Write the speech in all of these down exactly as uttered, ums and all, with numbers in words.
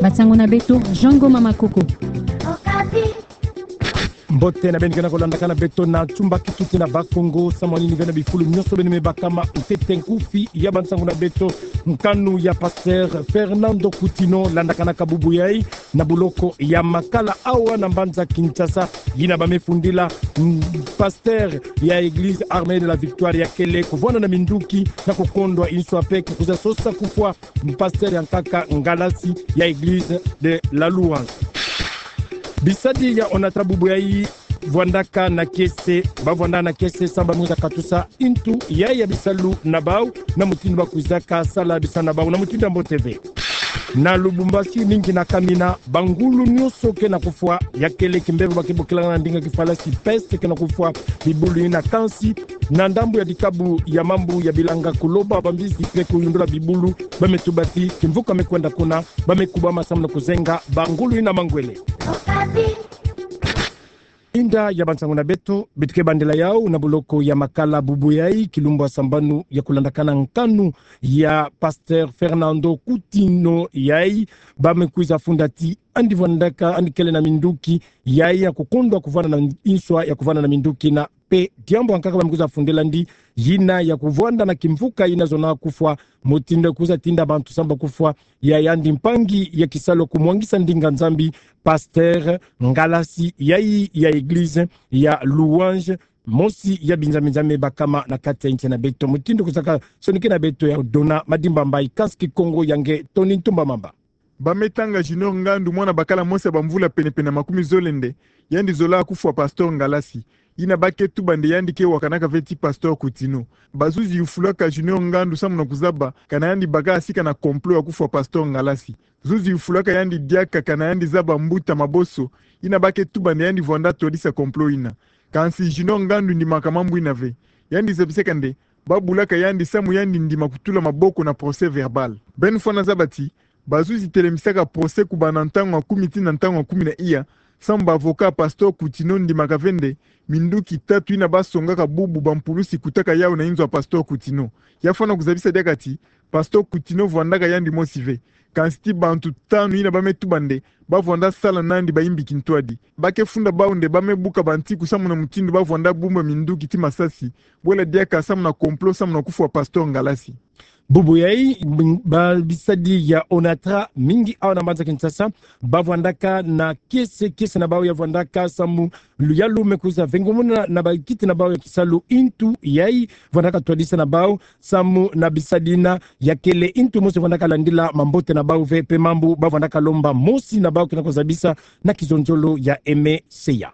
Nsangu na beto, Jean Ngoma Makoko. Mbote na beno ke na kolandaka na beto na ntumba kituti na Bas-Congo, samu na nini ve na bifulu nyonso beno me bakama ntete nkufi ya bansangu na beto. Nkanu ya Pasteur Fernando Coutinho landakanaka bubu yai na boloko ya Makala awa na mbanza Kinshasa, yina ba me fundila, mm, pasteur ya Église Armée de la Victoire ya kele kuvwanda na minduki na kukondwa inswa pe kukwiza sosa kufwa pasteur ya nkaka ngalasi ya Église de la Louange. Bisadi ya Onatra bubu yai vwandaka na kiese, ba vwanda na kiese samu ba me kwiza katusa ntu yai ya bisalu na bau, na mutindu ba kwizaka sala bisalu na bau na mutindu ya mbote ve. Na Lubumbashi, mingi na kamina, bangulu nyonso ke na kufwa, ya kele kimbevo ba ke bokilaka na ndinga kifalasi peste ke na kufwa bibulu yina. Kansi na ndambu ya dikabu ya mambu ya bilanga, kuloba bambizi pe kuyundula bibulu, ba me tuba ti kimvuka me kwenda kuna, ba me kubama samu na kuzenga bangulu yina mangwele. Inda ya bansangu na beto, beto ke bandela yau na boloko ya Makala bubu yai, kilumbu ya sambanu ya kulandakana nkanu ya Pasteur Fernando Coutinho yai, ba me kwiza funda ti yandi vwandaka, yandi kele na minduki yai ya kukondwa kuvwanda na inswa ya kuvwanda na minduki na pe diambu ya nkaka ba me kwiza fundela yandi, yina ya kuvwanda na kimvuka yina zona kufwa, mutindu ya kwiza tinda bantu samu ba kufwa, ya yandi mpangi ya kisalu kumwangisa ndinga Nzambi, pasteur ngalasi yai ya Église ya Louange, mosi ya binzambi-nzambi me bakama na kati ya nsi na beto. Mutindu kwizaka sonikena beto ya Dona Madimba Mbayi, kansi Kikongo ya nge Tony Ntumba Mamba. Ba me tanga Junior Ngandu, mwana bakala mosi ya bamvula pene-pene na makumi zole nde, yandi zola kufwa pasteur ngalasi. Yina ba ke tuba nde yandi ke wakanaka ve ti Pasteur Coutinho. Bazuzi yufulaka Junior Ngandu samu na kuzaba kana yandi baka sika na complot ya kufwa Pasteur ngalasi. Zuzi yufulaka yandi diaka kana yandi zaba mbuta Maboso, yina ba ke tuba nde yandi vwanda twadisa complot yina. Kansi Junior Ngandu ndimaka mambu yina ve. Yandi zabisaka nde ba bulaka yandi samu yandi ndima kutula maboko na procès-verbal. Beno fwana zaba ti bazuzi telemisaka procès kubanda ntangu ya kumi tii na ntangu ya kumi na iya, samu ba avocat Pasteur Coutinho ndimaka ve nde minduki tatu yina ba songaka bubu bampulusi kutaka yau na inzo ya Pasteur Coutinho. Ya fwana kuzabisa diaka ti Pasteur Coutinho vwandaka yandi mosi ve, kansi ti bantu tanu yina ba me tuba nde ba vwanda sala nandi bayimbi kintwadi. Ba ke funda bau nde ba me buka bantiku samu na mutindu ba vwanda bumba minduki tii masasi, bwela diaka samu na complot samu na kufwa Pasteur ngalasi. Bubu yai, m-, ba bisadi ya Onatra mingi awa na mbanza Kinshasa, ba vwandaka na kiese-kiese na bau ya vwandaka samu luyalu me kwiza vengomona na bakiti na bau ya kisalu ntu yai vwandaka twadisa na bau, samu na bisadi yina ya kele ntu mosi vwandaka landila mambote na bau ve, pe mambu ba vwandaka lomba mosi na bau ke na kuzabisa na kizonzolo ya Aimé Seya.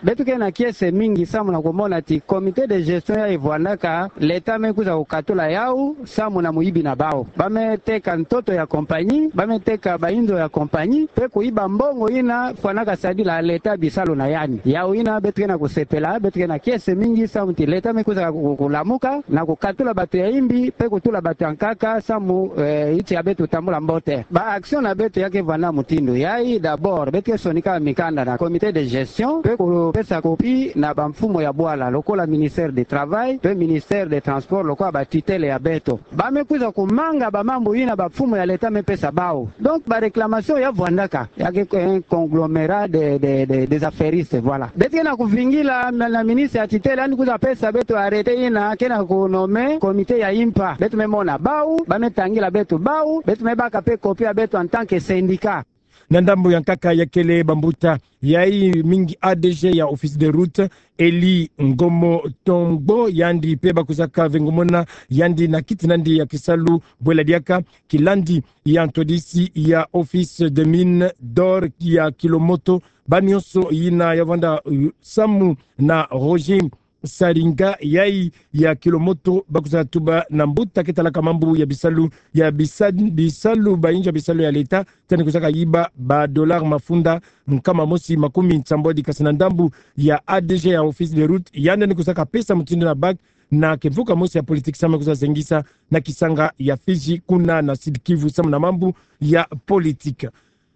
Beto ke na kiese mingi samu na kumona ti comité de gestion yai vwandaka, l'État me kwiza kukatula yau samu na muyibi na bau. Ba me teka ntoto ya compagnie, ba me teka bainzo ya compagnie, pe kuyiba mbongo yina fwanaka sadila l'État bisalu na yandi. Yau yina beto ke na kusepela, beto ke na kiese mingi samu ti l'État me kwiza ku-, kulamuka na kukatula bato ya yimbi, pe kutula bato ya nkaka samu, eh, nsi ya beto tambula mbote. Ba action na beto ya ke vwanda mutindu yai, d'abord beto ke sonika mikanda na comité de gestion, pe kupesa copie na bamfumu ya bwala, lokola ministère du travail, pe ministère des transports, lokola batutelle ya beto. Ba me kwiza kumanga bamambu yina bamfumu ya l'État me pesa bau. Donc ba réclamation ya vwandaka, ya ke un conglomérat de, de, de, des affairistes, voilà. Beto ke na kuvingila na, na ministre ya tutelle, yandi kwiza pesa beto arrêté yina ke na kunommer comité ya impa. Beto me mona bau, ba me tangila beto bau, beto me baka pe copie ya beto en tant que syndicat. Na ndambu ya nkaka ya kele bambuta yai mingi, A D G ya Office des Routes, Eli Ngomo Tongbo, yandi pe ba kwizaka vengomona yandi na kiti nandi ya kisalu, bwela diaka kilandi ya ntwadisi ya Office des Mines d'Or ya Kilomoto, ba nyonso yina ya vwanda, uh, samu na Roger Saringa yai ya Kilomoto, ba kwiza tuba na mbuta ke talaka mambu ya bisalu ya bisa-, bisalu, bainzo ya bisalu ya l'État, ti yandi kwizaka yiba ba dollars mafunda nkama mosi makumi nsambwadi. Kasi na ndambu ya A D G ya Office des Routes, yandi kwizaka pesa mutindu na bague na kimvuka mosi ya politique samu kwiza zengisa na kisanga ya Fidji kuna na Sud-Kivu samu na mambu ya politique.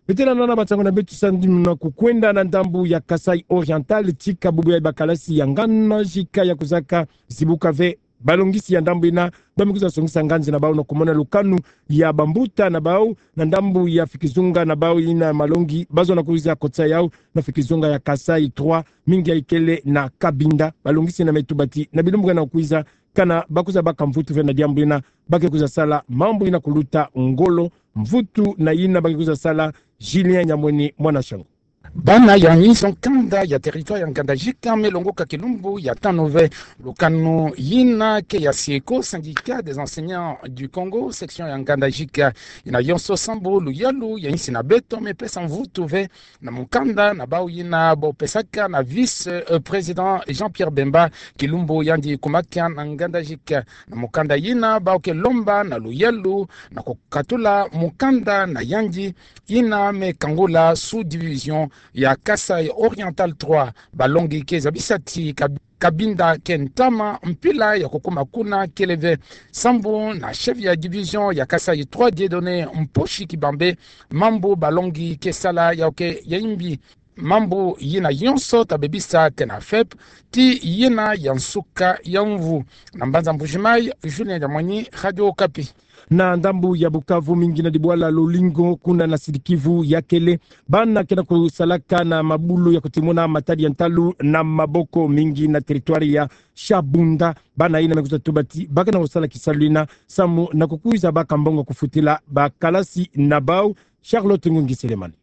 Beto landa na bansangu na beto samu na kukwenda na ndambu ya Kasaï Oriental, tika bubu yai bakalasi ya ngana jika ya kwizaka zibuka ve Balongisi ya ndambu ina, ba me kwiza songisa nganzi na bau na kumona lukanu ya bambuta na bau, na ndambu ya fikizunga na bau ina malongi, bazo na kwiza kotisa yau, na fikizunga ya Kasaï trois, mingi ya ikele na Cabinda, balongisi na me tuba ti, na bilumbu kena kwiza, kana ba kwiza baka mvutu ve na diambu ina, ba ke kwiza sala mambu ina kuluta ngolo, mvutu na ina ba ke kwiza sala. Julien Nyamweni, mwana Shangu. Bana ya nzo nkanda ya territoire ya Ngandajika me longoka kilumbu ya tanu ve. Lukanu ina ke ya SYECO, Syndicat des enseignants du Congo, section ya Ngandajika. Ina yonso sambu luyalu ya insi na beto me pesa mvutu ve na mukanda na bau ina bo pesaka na vice, euh, président Jean-Pierre Bemba, kilumbu yandi kumakia na Ngandajika. Na mukanda ina bau ke lomba na luyalu na kukatula mukanda na yandi ina me kangula sous-division ya Kasaï Oriental trois. Balongi ke zabisa ti Kab-, Cabinda ke ntama mpila ya kukuma kuna kele ve. Sambu na chef ya division ya Kasaï trois, Dieudonné Mposhi Kibambe, mambu balongi ke sala yau ke ya imbi. Mambu ina yonso ta bebisa ke na FEP ti ina ya nsuka ya mvu. Na mbanza Mbujimayi, Julien Nyamweni, Radio Okapi. Na ndambu ya Bukavu, mingi na dibwala Lolingo kuna na Sud-Kivu ya kele, bana kena kusalaka na mabulu ya kutimuna matadi ya ntalu na maboko, mingi na territoire ya Shabunda. Bana ina me kwiza tuba ti ba kena kusala kisalu ina samu na kukwiza baka mbongo kufutila bakalasi na bau. Charlotte Ngungi Selemani.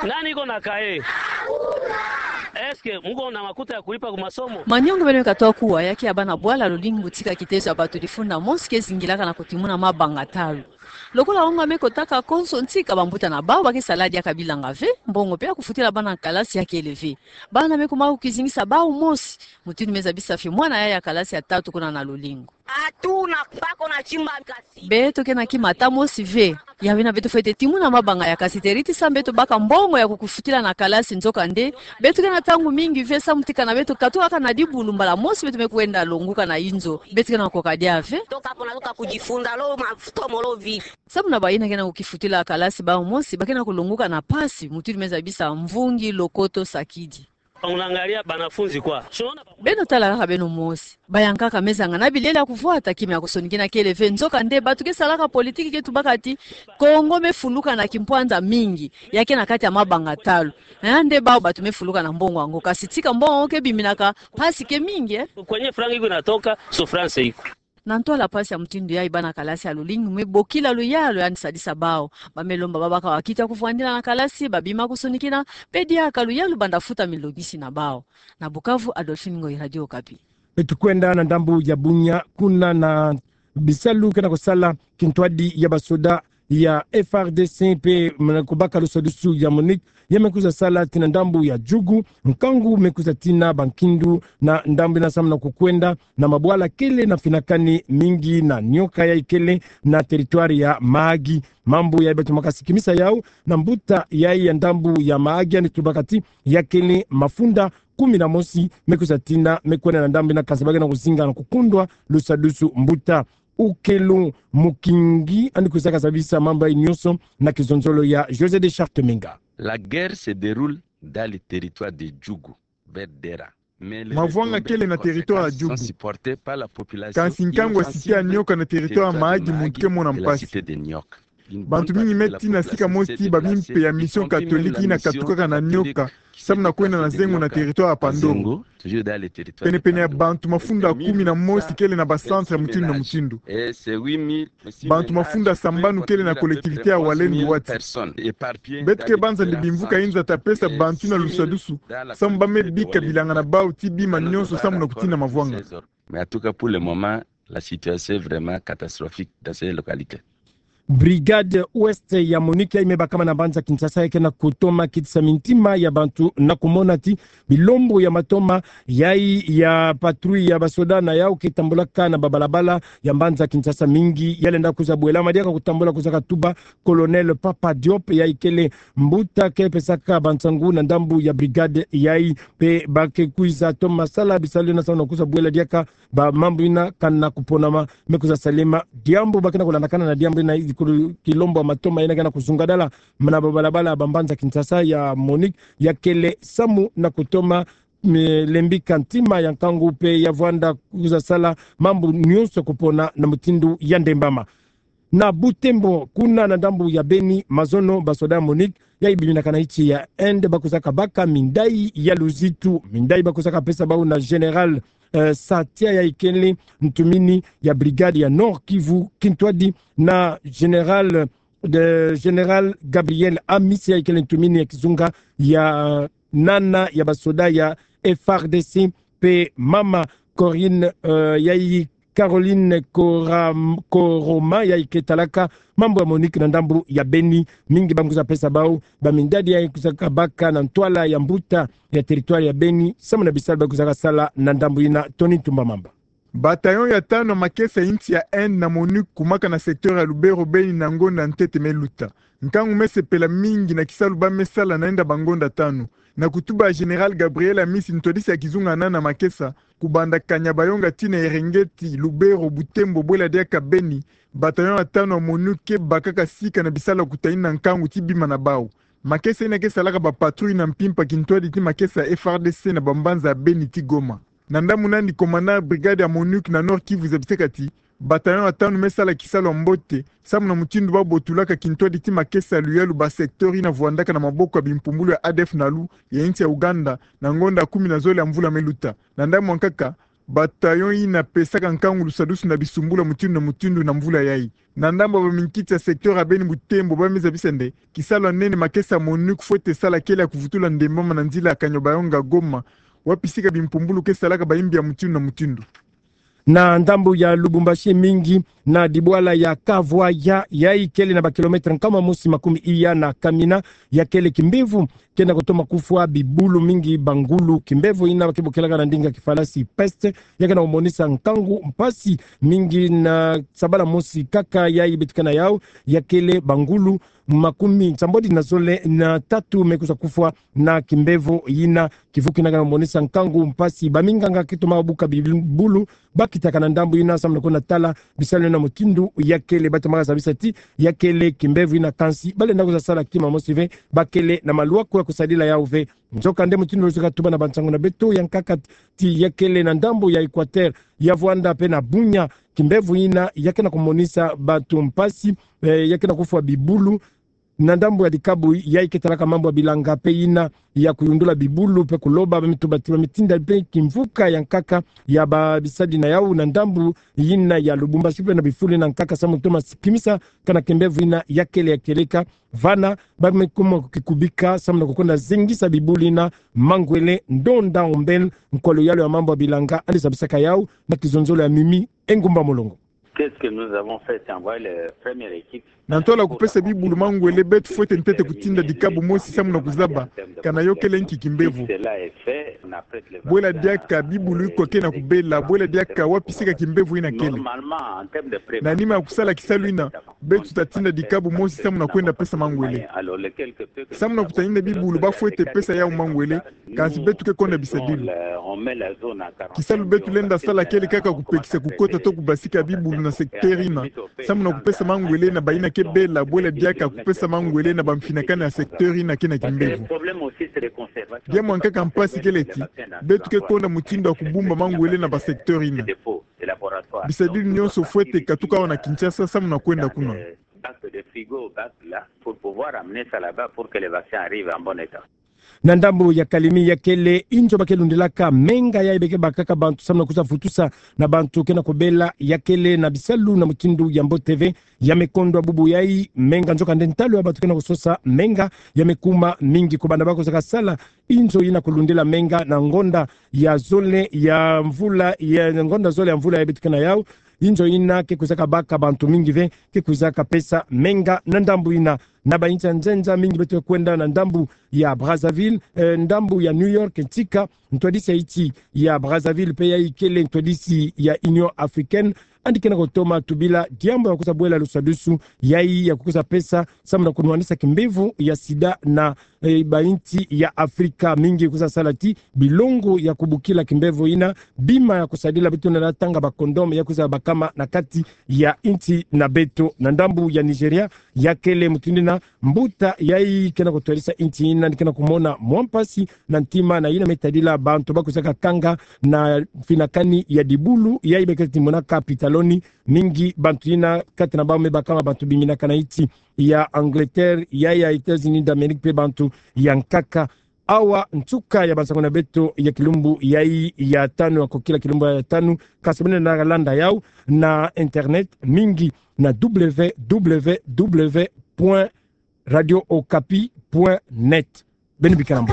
Nani iko na cahier? Est-ce que muko na makuta ya kulipa ku masomo? Maniongo beno me katoa kuwa, ya ke ya bana bwala Lolingo tika kitezo ya bato difunda mosi ke zingilaka na kutimuna mabanga ntalu. Lokola onga me kotaka konso ntika, bambuta na bau ba ke sala diaka bilanga ve, mbongo mpe ya kufutila bana kalasi ya kele ve. Bana me kuma kukizingisa bau mosi, mutindu me zabisa fimwana ya ya kalasi ya tatu kuna na Lolingo. Atu na bako na timba kasi. Beto ke na kima ata mosi ve. Ya wena beto fwete timuna mabanga ya kasi teriti samu beto baka mbongo ya kukufutila na kalasi, nzokande beto ke na ntangu mingi ve samu tika na beto katuka kaka na dibulu, mbala mosi beto me kwenda longuka na inzo. Beto ke na koka dia ve. Toka pona toka kudifunda lo mafutomo lo vi. Samu na baina ke na kukifutila kalasi bau mosi, ba ke na kulonguka na mpasi, mutindu me zabisa Mvungi Lokoto Sakidi. Unaangalia wanafunzi kwa. Si unaona? Beno tala kaka beno mosi. Bayankaka me zangana bilele ya kuvwata, kima ya kusonikina kele ve. Nzokande bato ke salaka politiki ke tubaka ti Kongo me fuluka na kimpwanza mingi, ya ke na kati ya mabanga ntalu. Eh, nde bau bato me fuluka na mbongo yango. Kasi tika mbongo yango ke biminaka, mpasi ke mingi, eh. Kwenye franc iko inatoka, souffrance iko. Na ntwala mpasi ya mutindu yayi, bana kalasi ya Lolingo me bokila luyalu yandi sadisa bau. Ba me lomba babaka wakiti ya kuvwandila na kalasi, babima kusonikina, mpe diaka luyalu banda futa milongisi na bau. Na Bukavu, Adolphine Ngoyi, Radio Okapi. Mpe tukwenda na ndambu ya Bunia, kuna na bisalu kena kusala kintwadi ya basoda ya F R D C mpe muna kubaka lusadusu ya MONUC, ya me kwiza sala tii na ndambu ya Djugu, nkangu me kwiza tii na bankindu na ndambu ina samu na kukwenda na mabwala kele na finakani, mingi na nioka ya ikele na territoire ya Mahagi. Mambu ya ibatumaka sikimisa yau na mbuta ya ya ndambu ya Mahagi, yandi tubaka ti ya kele mafunda kumi na mosi me kwiza tii na me kwenda na ndambu ina, kansi ba ke na kuzinga na kukundwa lusadusu. Mbuta Ukelu Mukingi, yandi kwizaka zabisa mambu yayi nionso na kizonzolo ya José de Charte Menga. La guerre se déroule dans le territoire de Djugu, vers Dera. Mavwanga kele na territoire ya Djugu. Kansi nkangu ya site ya nioka na territoire ya Mahagi muntu ke mona mpasi. Bantu mingi me tii na sika mosi ti ba mimpe ya Mission Catholique ina katukaka na nioka samu na kwenda na zengo na territoire ya Pandoro. Penepene ya bantu mafunda kumi na mosi kele na ba centre ya mutindu na mutindu. Bantu mafunda sambanu kele na collectivité ya Walendu Wati. Beto ke banza nde bimvuka inza ta pesa bantu ina lusadusu samu ba me bika bilanga na bau ti bima nionso samu na kutii na mavwanga. Mais en tout cas, pour le moment, la situation est vraiment catastrophique dans ces localités. Brigade Ouest ya MONUC yayi me bakama na mbanza Kinshasa, ya ke na kutoma kitisa mintima ya bantu na kumona ti bilombo ya matoma yayi ya patrouille ya basoda na yau ke tambulaka na babalabala ya mbanza Kinshasa, mingi ya lenda kwiza bwelama diaka kutambula, kwiza katuba Colonel Papa Diop, yayi kele mbuta ke pesaka bansangu na ndambu ya brigade yayi. Mpe ba ke kwiza toma sala bisalu ina samu na kwiza bwela diaka ba mambu ina kana kuponama me kwiza salema. Diambu ba ke na kulandakana na diambu ina, ikulu kilombo ya matoma ina ke na kuzungadala muna babalabala ba mbanza Kinshasa ya MONUC, ya kele samu na kutoma me-, lembika ntima ya nkangu mpe ya vwanda kwiza sala mambu nyonso kupona na mutindu ya ndembama. Na Butembo, kuna na ndambu ya Beni, mazono basoda ya MONUC yayi biminaka na insi ya Inde bakwizaka baka mindai ya luzitu, mindai bakwizaka pesa bawu na Général, eh, Satia yayi kele ntumini ya brigade ya Nord-Kivu, kintwadi na Général de Général Gabriel Amisi yayi kele ntumini ya kizunga ya nana ya basoda ya F R D C, mpe mama Corinne, eh, yayi Caroline Koram-, Koroma yayi ke talaka mambu ya MONUC na ndambu ya Beni, mingi bangwiza pesa bawu bamindadi yayi kwizaka baka na ntwala ya mbuta ya territoire ya Beni, samu na bisalu bakwizaka sala na ndambu yina. Tony Ntumba Mamba. Bataillon ya tanu ya makesa ya insi ya Inde na MONUC kumaka na secteur ya Lubero Beni na ngonda ntete me luta. Nkangu me sepela mingi na kisalu ba me sala na enda bangonda tanu. Na kutuba ya Général Gabriel Amisi, ntwadisi ya kizunga nana makesa, kubanda Kanyabayonga tii na Erengeti, Lubero, Butembo, bwela diaka Beni, bataillon ya tanu ya MONUC ke bakaka sika na bisalu ya kutayinina nkangu ti bima na bawu. Makesa yina ke salaka ba patrouille na mpimpa kintwadi ti makesa ya F R D C na bambanza ya Beni tii Goma. Na ndambu nani, commandant brigade ya MONUC na Nord-Kivu zabisaka ti bataillon ya tanu me sala kisalu ya mbote, samu na mutindu ba botulaka kintwadi ti makesa ya luyalu ba secteur yina vwandaka na maboko ya bimpumbulu ya A D F NALU ya insi ya Ouganda, na ngonda kumi na zole ya mvula me luta. Na ndambu ya nkaka, bataillon yina pesaka nkangu lusadusu na bisumbulu ya mutindu na mutindu na mvula yayi. Na ndambu ya baminkiti ya secteur ya Beni Butembo ba me zabisa nde kisalu ya nene makesa ya MONUC fwete sala kele ya kuvutula ndembama na nzila ya Kanyabayonga Goma, wapi sika bimpumbulu ke salaka bayimbi ya mutindu na mutindu. Na ndambu ya Lubumbashi, mingi na dibwala ya Kavwaya, yayi kele na ba kilomètre nkama mosi makumi iya na Kamina, ya kele kimbevo kena kutoma kufwa bibulu mingi bangulu. Kimbevo yina ke bokelaka na ndinga kifalasi peste, ya kena kumonisa nkangu, mpasi mingi. Na sabala mosi kaka yayi beto ke na yawu, ya kele bangulu makumi nsambwadi na zole na tatu me kwiza kufwa na kimbevo yina. Kivuki yina kena kumonisa nkangu, mpasi. Baminganga ke toma buka bibulu ba kitaka na ndambu yina samu na kwenda tala bisalu na mutindu ya kele. Ba tomaka zabisa ti ya kele kimbevo yina, kansi ba lenda kwiza sala kima mosi ve, ba kele na malwaku ya kusadila yawu ve. Nzokande mutindu luzika tuba na bansangu na beto ya nkaka, ti ya kele na ndambu ya Equateur ya vwanda mpe na Bunia, kimbevo yina ya kena kumonisa bantu mpasi, eh, ya kena kufwa bibulu. Na ndambu ya dikabu yayi ke talaka mambu ya bilanga mpe yina ya kuyundula bibulu mpe kuloba, ba me tuba ti ba me tinda mpe kimvuka ya nkaka ya ba bisadi na yawu na ndambu yina ya Lubumbashi mpe na bifulu yina nkaka samu toma kimisa kana kimbevo yina ya kele ya kieleka. Vana ba me kuma kukikubika samu na kukwenda zengisa bibulu yina mangwele. Ndonda Ombel, nkwa luyalu ya mambu ya bilanga, yandi zabisaka yawu na kizonzolo ya Mimi Engumba Mulongo. Qu'est-ce que nous avons fait ? C'est envoyer les premières équipes. Na ntwala kupesa bibulu mangwele, beto fwete ntete kutinda dikabu mosi samu na kuzaba kana yo kele nki kimbevo. Bwela diaka bibulu ikwa kena kubela, bwela diaka wapi sika kimbevo yina kele. Na nima ya kusala kisalu yina, beto ta tinda dikabu mosi samu na kwenda pesa mangwele. Samu na kutayinda bibulu ba fwete pesa yawu mangwele, kansi beto ke konda bisadilu. Kisalu beto lenda sala kele kaka kupekisa kukota to kubasika bibulu na secteur yina, samu na kupesa mangwele na bayina ke bela, bwela diaka kupesa mangwele na bamfinakana ya secteur yina kena kimbevo. Diambu ya nkaka mpasi kele ti beto ke konda mutindu ya kubumba mangwele na ba secteur yina. Bisadilu nyonso fwete katuka awa na Kinshasa samu na kwenda kuna. Bac de frigo, bac là, pour pouvoir amener ça là-bas pour que les vaccins arrivent en bon état. Na ndambu ya Kalemi, ya kele inzo ba ke lundilaka menga yayi be ke bakaka bantu samu na kwiza vutusa na bantu kena kubela, ya kele na bisalu na mutindu ya mbote ve. Ya me kondwa bubu yayi menga, nzokande ntalu ya bantu kena kusosa menga ya me kuma mingi kubanda ba kwizaka sala inzo yina kulundila menga na ngonda ya zole ya mvula, ya ngonda zole ya mvula yayi beto ke na yawu. Inzo yina ke kwizaka baka bantu mingi ve, ke kwizaka pesa menga na ndambu yina. Na ba inzo ya nzenza mingi beto ke kwenda na ndambu ya Brazzaville, eh, ndambu ya New York, ntika ntwadisi ya inzo ya Brazzaville mpe yayi kele ntwadisi ya Union Africaine, yandi ke na kutoma tubila diambu ya kwiza bwela lusadusu yayi ya kwiza pesa samu na kunwanisa kimbevo ya sida na, eh, ba insi ya Afrika mingi kwiza sala ti bilongo ya kubukila kimbevo yina, bima ya kusadila beto na tanga ba condom ya kwiza bakama na kati ya insi na beto. Na ndambu ya Nigeria, ya kele mutindu yina mbuta yayi ke na kutwadisa insi yina, yandi ke na kumona mwa mpasi na ntima na yina me tadila bantu ba kwizaka kanga na finakani ya dibulu yayi be ke ti monaka pitaloni. Mingi bantu yina kati na bawu me bakama bantu biminaka na insi ya Angleterre, ya ya États-Unis d'Amérique pe bantu ya nkaka. Awa nsuka ya bansango na beto ya kilumbu yayi ya tanu, ya kokila kilumbu ya tanu. Kasi beno na landa yawu na internet mingi na www.radiookapi.net. Beno bikala mbo.